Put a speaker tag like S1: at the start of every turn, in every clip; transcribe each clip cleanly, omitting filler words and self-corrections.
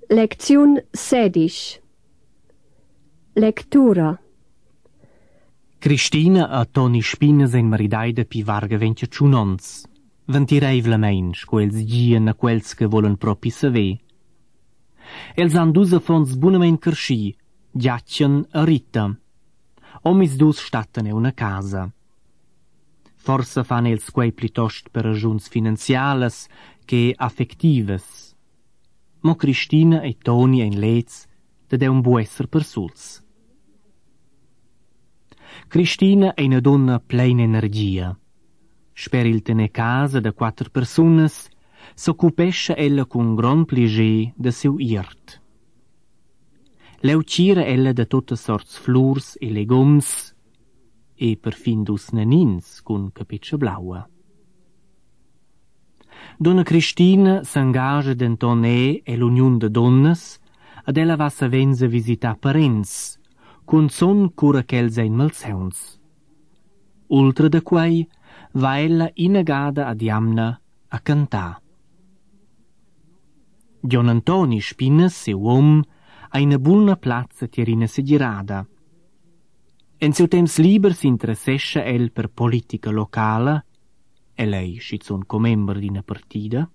S1: Lecțiun 16. Lectura.
S2: Cristina a Toni Spinas en maridaida pi varga ventia ciunons. Ventireivlamein, quels gien a quels che volen propi saver. Els han dus affons bunamein carschi, giaccian a Rita. Omis dus statten e una casa. Forsa fan els quei plitost per ragiuns finanzialas che affectivas. Mo Cristina e Toni en lez da un buo esser per suls. Cristina è una donna plena energia. Sper il tene casa da 4 personas, s'occupesce ella con gran pliger da seu irt. Leu cira ella da tutte sorts flurs e legums, e perfin dus nanins con capiccia blaua. Donna Cristina s'engaja denton e l'union de donnas, ad ella va savenza visitar parents, con son cura ch'els ein malsauns. Ultra da quei va ella inagada ad Jamna a cantar. Gian Antoni Spinas, seu om, ha una buona plazza tierina segirada. En seu temps liber s'interessescha el per politica locala, e lei schizun comember d'ina partida,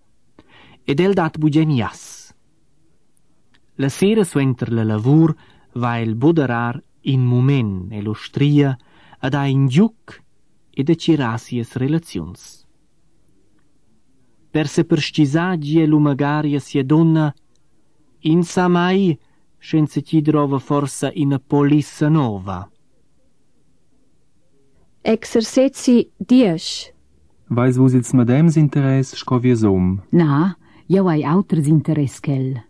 S2: ed el dat bugen jas. La sera suenter la lavur va el boderar in moment e l'ostria ad a in giuc ed a cirasias relazions. Per se perscisagi e lumagaria sia donna, in sa mai senza ci drova forsa in polissa nova.
S1: Exercezi 10.
S3: Vais vus ils madems interess sco viesom?
S4: Na, jeu hai auters interess ch'el.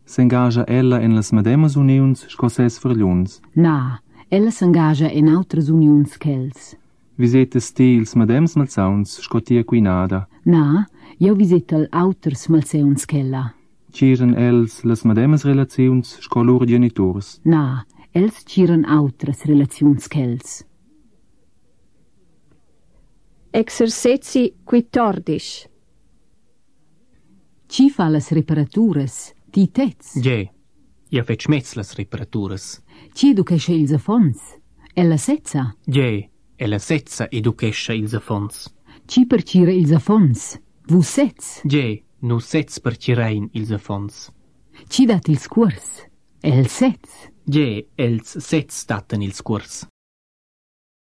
S3: S'engaja ella en las mademas unions sco ses vergliuns?
S4: Na, ella s'engaja en autras unions ch'els.
S3: Visetes ti ils madems malsauns sco tia quinada?
S4: Na, jeu visitel auters malseuns ch'ella.
S3: Ciren els las mademas relaziuns sco lur geniturs?
S4: Na, els ciren autras relaziuns ch'els.
S1: Exercezi 14.
S4: Ci fa las reparaturas? Ti tez?
S2: Ge, ja fetch metz las reparaturas.
S4: Ci educesce ils affons? Ella setza?
S2: Ge, ella setza educescha ils affons.
S4: Ci per cire ils affons? Vus setz?
S2: Ge, nu setz per cirein ils affons.
S4: Ci dat ils cuors? El setz?
S2: Ge, els setz daten ils curs.